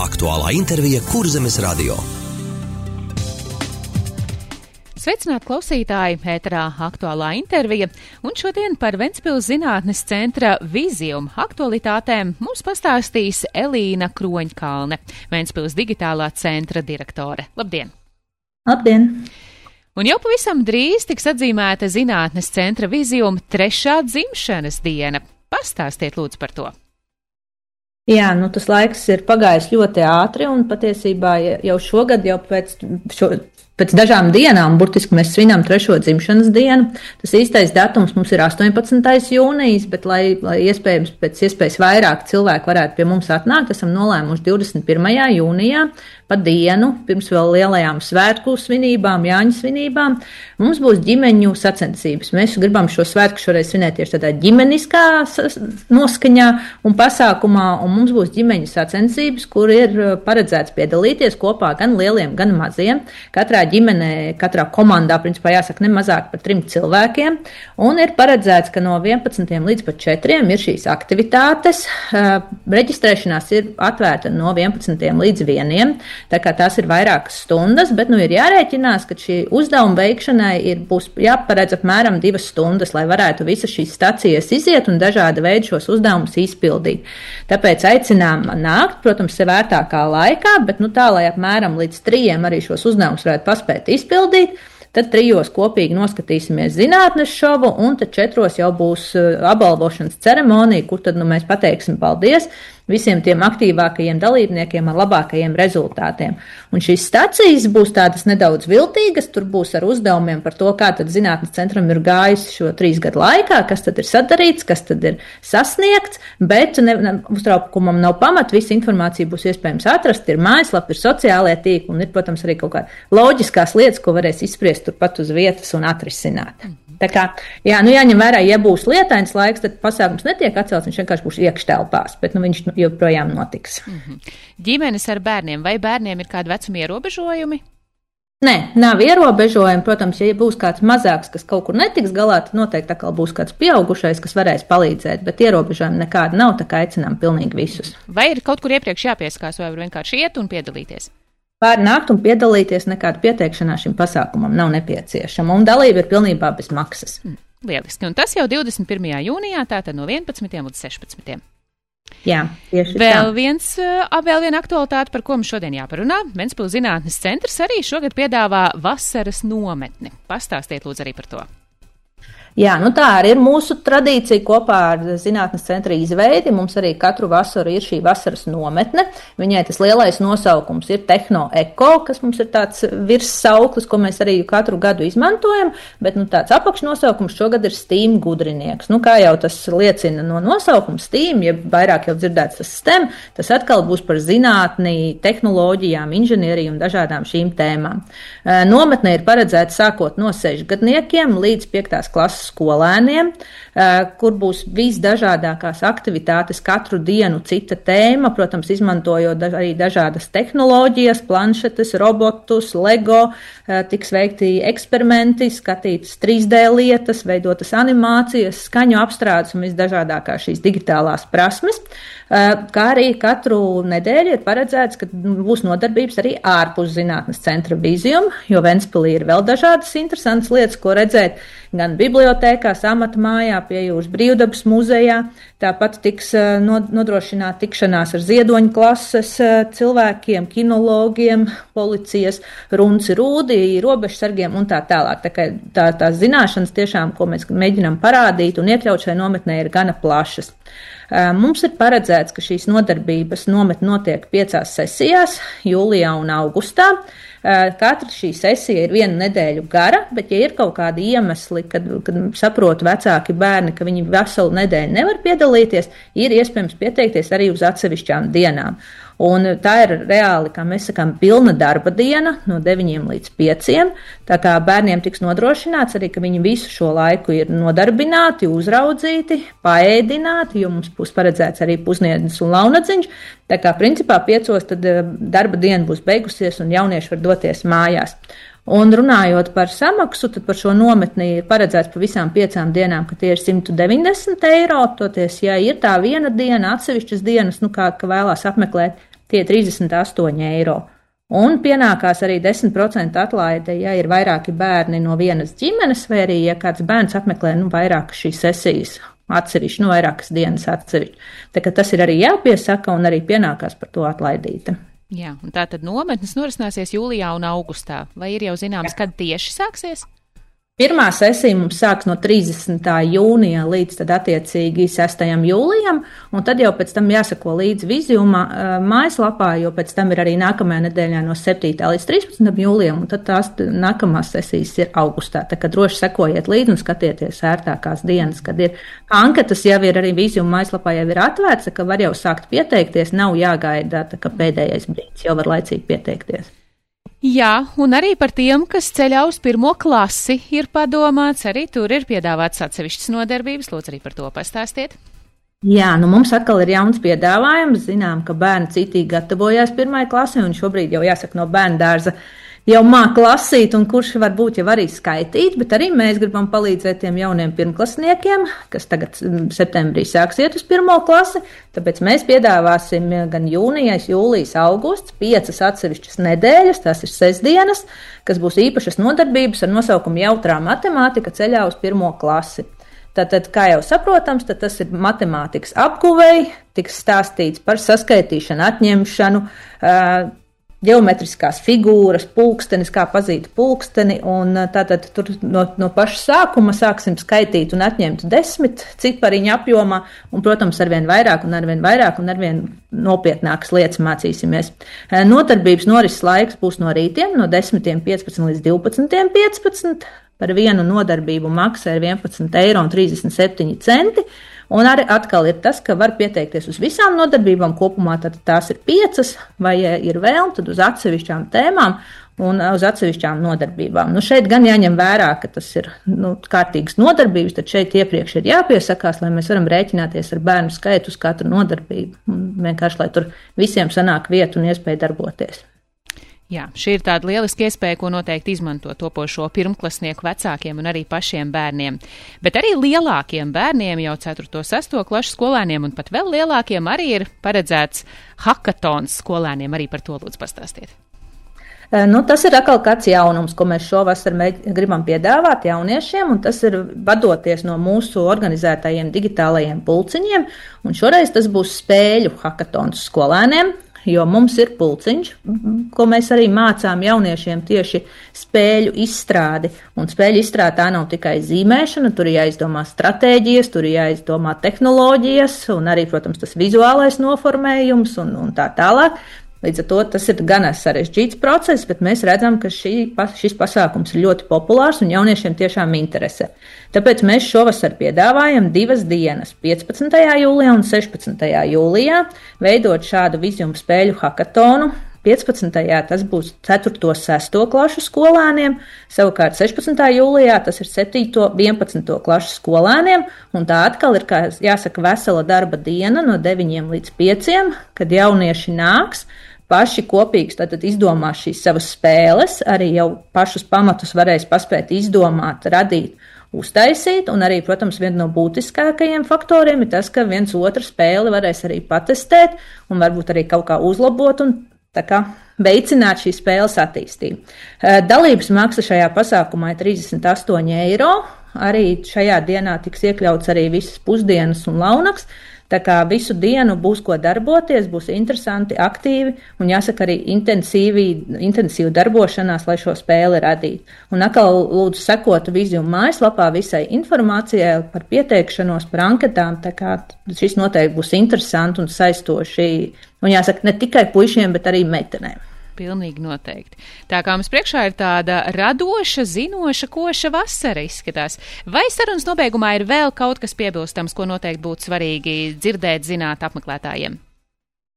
Aktuālā intervija Kurzemes radio. Sveicināti klausītāji, ēterā aktuālā intervija, un šodien par Ventspils zinātnes centra Visium aktualitātēm mums pastāstīs Elīna Kroņkalne, Ventspils digitālā centra direktore. Labdien! Labdien! Un jau pavisam drīz tiks atzīmēta zinātnes centra Visium 3. dzimšanas diena. Pastāstiet lūdzu par to. Jā, tas laiks ir pagājis ļoti ātri, un patiesībā jau šogad, pēc dažām dienām, burtiski mēs svinām 3. dzimšanas dienu. Tas īstais datums mums ir 18. jūnijas, bet lai iespējams pēc iespējas vairāk cilvēku varētu pie mums atnākt, esam nolēmuši 21. jūnijā pa dienu, pirms vēl lielajām svētku svinībām, Jāņu svinībām, mums būs ģimeņu sacensības. Mēs gribam šo svētku šoreiz svinēt tieši tādā ģimeniskā noskaņā un pasākumā, un mums būs ģimeņu sacensības, kur ir paredzēts piedalīties kopā gan lieliem, gan maziem. Katrā ģimenē, katrā komandā, principā jāsaka, ne mazāk par 3 cilvēkiem, un ir paredzēts, ka no 11 līdz pat 4 ir šīs aktivitātes. Reģistrēšanās ir atvērta no 11 līdz 1, tā kā tās ir vairākas stundas, bet ir jārēķinās, ka šī uzdevuma veikšanai būs jāparedz apmēram 2 stundas, lai varētu visas šīs stacijas iziet un dažāda veida šos uzdevumus izpildīt. Tāpēc aicinām nākt, protams, vērtākā laikā, bet tā, lai apmēram līdz 3 arī šos uzdevumus varētu paspēt izpildīt. Tad 3 kopīgi noskatīsimies zinātnes šovu, un tad 4 jau būs apbalvošanas ceremonija, kur tad mēs pateiksim paldies visiem tiem aktīvākajiem dalībniekiem ar labākajiem rezultātiem. Un šīs stacijas būs tādas nedaudz viltīgas, tur būs ar uzdevumiem par to, kā tad zinātnes centram ir gājis šo 3 gadu laikā, kas tad ir sadarīts, kas tad ir sasniegts, bet uztraukumam nav pamata, visa informācija būs iespējams atrast, ir mājaslapa, ir sociālie tīkli un ir, protams, arī kaut kā loģiskās lietas, ko varēs izspriest turpat uz vietas un atrisināt. Tā kā, jāņem vērā, ja būs lietains laiks, tad pasākums netiek atcelts, viņš vienkārši būs iekštelpās, bet viņš joprojām notiks. Ģimenes ar bērniem, vai bērniem ir kādi vecuma ierobežojumi? Nē, nav ierobežojumi. Protams, ja būs kāds mazāks, kas kaut kur netiks galā, tad noteikti atkal būs kāds pieaugušais, kas varēs palīdzēt, bet ierobežojumi nekādi nav, tā kā aicinām pilnīgi visus. Vai ir kaut kur iepriekš jāpieskās, vai var vienkārši iet un piedalīties? Pārnākt un piedalīties, nekāda pieteikšanās šim pasākumam nav nepieciešama, un dalība ir pilnībā bez maksas. Lieliski, un tas jau 21. jūnijā, tātad no 11 līdz 16. Jā, tieši vēl viena aktualitāte, par ko mums šodien jāparunā. Ventspils zinātnes centrs arī šogad piedāvā vasaras nometni. Pastāstiet lūdzu arī par to. Jā, tā arī ir mūsu tradīcija kopā ar zinātnes centra izveidi. Mums arī katru vasaru ir šī vasaras nometne. Viņai tas lielais nosaukums ir Tehno Eko, kas mums ir tāds virssauklis, ko mēs arī katru gadu izmantojam, bet tāds apakšnosaukums šogad ir STEAM gudrinieks. Kā jau tas liecina no nosaukuma STEAM, ja vairāk jau dzirdēts tas STEM, tas atkal būs par zinātni, tehnoloģijām, inženieriju un dažādām šīm tēmām. Nometne ir paredzēta sākot no 6 gadniekiem līdz 5. klases skolēniem, kur būs visdažādākās aktivitātes, katru dienu cita tēma, protams, izmantojot arī dažādas tehnoloģijas, planšetes, robotus, Lego, tiks veikti eksperimenti, skatītas 3D lietas, veidotas animācijas, skaņu apstrādes un visdažādākās šīs digitālās prasmes, kā arī katru nedēļu ir paredzēts, ka būs nodarbības arī ārpus zinātnes centra Visium, jo Ventspilī ir vēl dažādas interesantas lietas, ko redzēt gan bibliotēkās, amatmājā, pie jūras brīvdabas muzejā. Tāpat tiks nodrošināta tikšanās ar ziedoņu klases cilvēkiem, kinologiem, policijas, runci rūdī, robežsargiem un tā tālāk. Tās zināšanas tiešām, ko mēs mēģinām parādīt un iekļaut šajā nometnē, ir gana plašas. Mums ir paredzēts, ka šīs nodarbības nometne notiek 5 sesijās, jūlijā un augustā. Katra šī sesija ir 1 nedēļu gara, bet ja ir kaut kādi iemesli, kad saprot vecāki bērni, ka viņi veselu nedēļu nevar piedalīties, ir iespējams pieteikties arī uz atsevišķām dienām. Un tā ir reāli, kā mēs sakām, pilna darba diena no 9 līdz 5. Tā kā bērniem tiks nodrošināts arī, ka viņi visu šo laiku ir nodarbināti, uzraudzīti, paēdināti, jo mums būs paredzēts arī pusdienas un launadziņš. Tā kā principā 5 tad darba diena būs beigusies un jaunieši var doties mājās. Un runājot par samaksu, tad par šo nometni ir paredzēts pa visām 5 dienām, ka tie ir 190 eiro. Toties, ja ir tā viena diena, atsevišķas dienas, kā vēlās apmeklēt tie 38 eiro. Un pienākās arī 10% atlaide, ja ir vairāki bērni no vienas ģimenes, vai arī, ja kāds bērns apmeklē vairākas šīs sesijas atsevišķi, vairākas dienas atsevišķi. Tā kā tas ir arī jāpiesaka un arī pienākās par to atlaidīta. Jā, un tā tad nometnes norisināsies jūlijā un augustā. Vai ir jau zināms, kad tieši sāksies? Pirmā sesija mums sāks no 30. jūnija līdz tad attiecīgi 6. jūlijam, un tad jau pēc tam jāsako līdz Viziuma mājaslapā, jo pēc tam ir arī nākamajā nedēļā no 7. līdz 13. jūlijam, un tad tās nākamās sesijas ir augustā. Tā kā droši sekojiet līdzi un skatieties ērtākās dienas, kad ir anketas, jau ir arī Viziuma mājaslapā jau ir atvērts, ka var jau sākt pieteikties, nav jāgaida, tā kā pēdējais brīdis, jau var laicīgi pieteikties. Jā, un arī par tiem, kas ceļā uz 1. klasi, ir padomāts, arī tur ir piedāvāts atsevišķas nodarbības. Lūdzu, arī par to pastāstiet. Jā, mums atkal ir jauns piedāvājums. Zinām, ka bērni citīgi gatavojās 1. klasē, un šobrīd jau jāsaka no bērnu dārza jau māk lasīt, un kurš varbūt jau arī skaitīt, bet arī mēs gribam palīdzēt tiem jauniem pirmklasniekiem, kas tagad septembrī sāks iet uz 1. klasi, tāpēc mēs piedāvāsim gan jūnijas, jūlijas, augusts, 5 atsevišķas nedēļas, tās ir sestdienas, kas būs īpašas nodarbības ar nosaukumu Jautrā matemātika ceļā uz 1. klasi. Tātad, kā jau saprotams, tad tas ir matemātikas apguvei, tiks stāstīts par saskaitīšanu, atņemšanu, ģeometriskās figūras, pulkstenis, kā pazīt pulksteni, un tātad tur no paša sākuma sāksim skaitīt un atņemt 10 cipariņu apjomā, un, protams, arvien vairāk un arvien nopietnākas lietas mācīsimies. Nodarbības norises laiks būs no rītiem, no 10:15 līdz 12:15, par vienu nodarbību maksā ir 11,37 eiro. Un arī atkal ir tas, ka var pieteikties uz visām nodarbībām kopumā, tad tās ir 5, vai ja ir vēlme, tad uz atsevišķām tēmām un uz atsevišķām nodarbībām. Šeit gan jāņem vērā, ka tas ir kārtīgas nodarbības, tad šeit iepriekš ir jāpiesakās, lai mēs varam rēķināties ar bērnu skaitu uz katru nodarbību. Un vienkārši, lai tur visiem sanāk vieta un iespēja darboties. Jā, šī ir tāda lieliska iespēja, ko noteikti izmanto topošo pirmklasnieku vecākiem un arī pašiem bērniem. Bet arī lielākiem bērniem, jau 4. 6. klašu skolēniem un pat vēl lielākiem arī ir paredzēts hakatons skolēniem. Arī par to lūdzu pastāstiet. Tas ir atkal kāds jaunums, ko mēs šovasar gribam piedāvāt jauniešiem, un tas ir vadoties no mūsu organizētajiem digitālajiem pulciņiem, un šoreiz tas būs spēļu hakatons skolēniem. Jo mums ir pulciņš, ko mēs arī mācām jauniešiem tieši spēļu izstrādi. Un spēļu izstrāde tā nav tikai zīmēšana, tur ir jāizdomā stratēģijas, tur ir jāizdomā tehnoloģijas un arī, protams, tas vizuālais noformējums un tā tālāk. Līdz ar to tas ir gan sarežģīts process, bet mēs redzam, ka šis pasākums ir ļoti populārs un jauniešiem tiešām interesē. Tāpēc mēs šovasar piedāvājam 2 dienas, 15. jūlijā un 16. jūlijā, veidot šādu Viziuma spēļu hakatonu. 15. tas būs 4. 6. klašu skolēniem, savukārt 16. jūlijā tas ir 7. 11. klašu skolēniem, un tā atkal ir, kā jāsaka, vesela darba diena no 9 līdz 5, kad jaunieši nāks, paši kopīgi tātad izdomās šīs savas spēles, arī jau pašus pamatus varēs paspēt izdomāt, radīt, uztaisīt, un arī, protams, viena no būtiskākajiem faktoriem ir tas, ka viens otru spēli varēs arī patestēt un varbūt arī kaut kā uzlabot un tā kā veicināt šīs spēles attīstību. Dalības maksa šajā pasākumā ir 38 eiro. Arī šajā dienā tiks iekļauts arī visas pusdienas un launaks. Tā kā visu dienu būs ko darboties, būs interesanti, aktīvi un jāsaka arī intensīvi darbošanās, lai šo spēli radītu. Un atkal lūdzu sekot Viziuma mājaslapā visai informācijai par pieteikšanos, par anketām, tā kā šis noteikti būs interesanti un saistoši. Un jāsaka ne tikai puišiem, bet arī meitenēm. Pilnīgi noteikti. Tā kā mums priekšā ir tāda radoša, zinoša, koša vasara izskatās. Vai sarunas nobeigumā ir vēl kaut kas piebilstams, ko noteikti būtu svarīgi dzirdēt, zināt apmeklētājiem?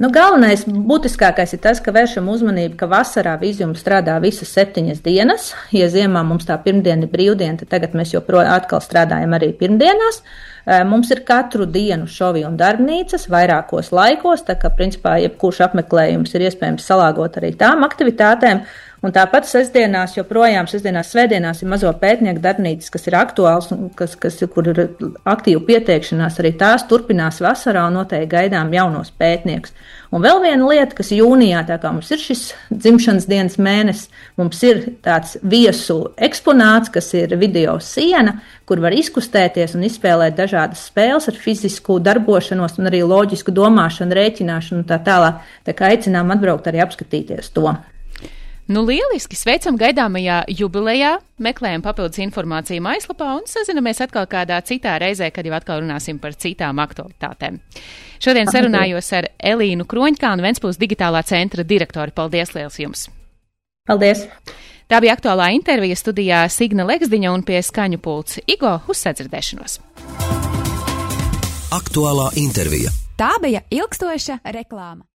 Galvenais, būtiskākais ir tas, ka vēršam uzmanību, ka vasarā Viziuma strādā visas 7 dienas. Ja ziemā mums tā pirmdiena ir brīvdiena, tad tagad mēs joprojām atkal strādājam arī pirmdienās. Mums ir katru dienu šovi un darbnīcas vairākos laikos, tā kā principā jebkurš apmeklējums ir iespējams salāgot arī tām aktivitātēm. Un tāpat sestdienās, svētdienās ir mazo pētnieku darbnīcas, kas ir aktuāls un kur ir aktīva pieteikšanās, arī tās turpinās vasarā un noteikti gaidām jaunos pētniekus. Un vēl viena lieta, kas jūnijā, tā kā mums ir šis dzimšanas dienas mēnesis, mums ir tāds viesu eksponāts, kas ir video siena, kur var izkustēties un izspēlēt dažādas spēles ar fizisku darbošanos un arī loģisku domāšanu, rēķināšanu un tā tālāk. Tā kā aicinām atbraukt arī apskatīties to. Nu, lieliski! Sveicam gaidāmajā jubilejā, meklējam papildus informāciju mājaslapā un sazinamies atkal kādā citā reizē, kad jau atkal runāsim par citām aktualitātēm. Šodien sarunājos ar Elīnu Kroņkalni, Ventspils digitālā centra direktori. Paldies liels jums! Paldies! Tā bija aktuālā intervija, studijā Signa Leksdiņa un pie skaņu pults Igo. Uz sadzirdēšanos! Aktuālā intervija. Tā bija ilgstoša reklāma.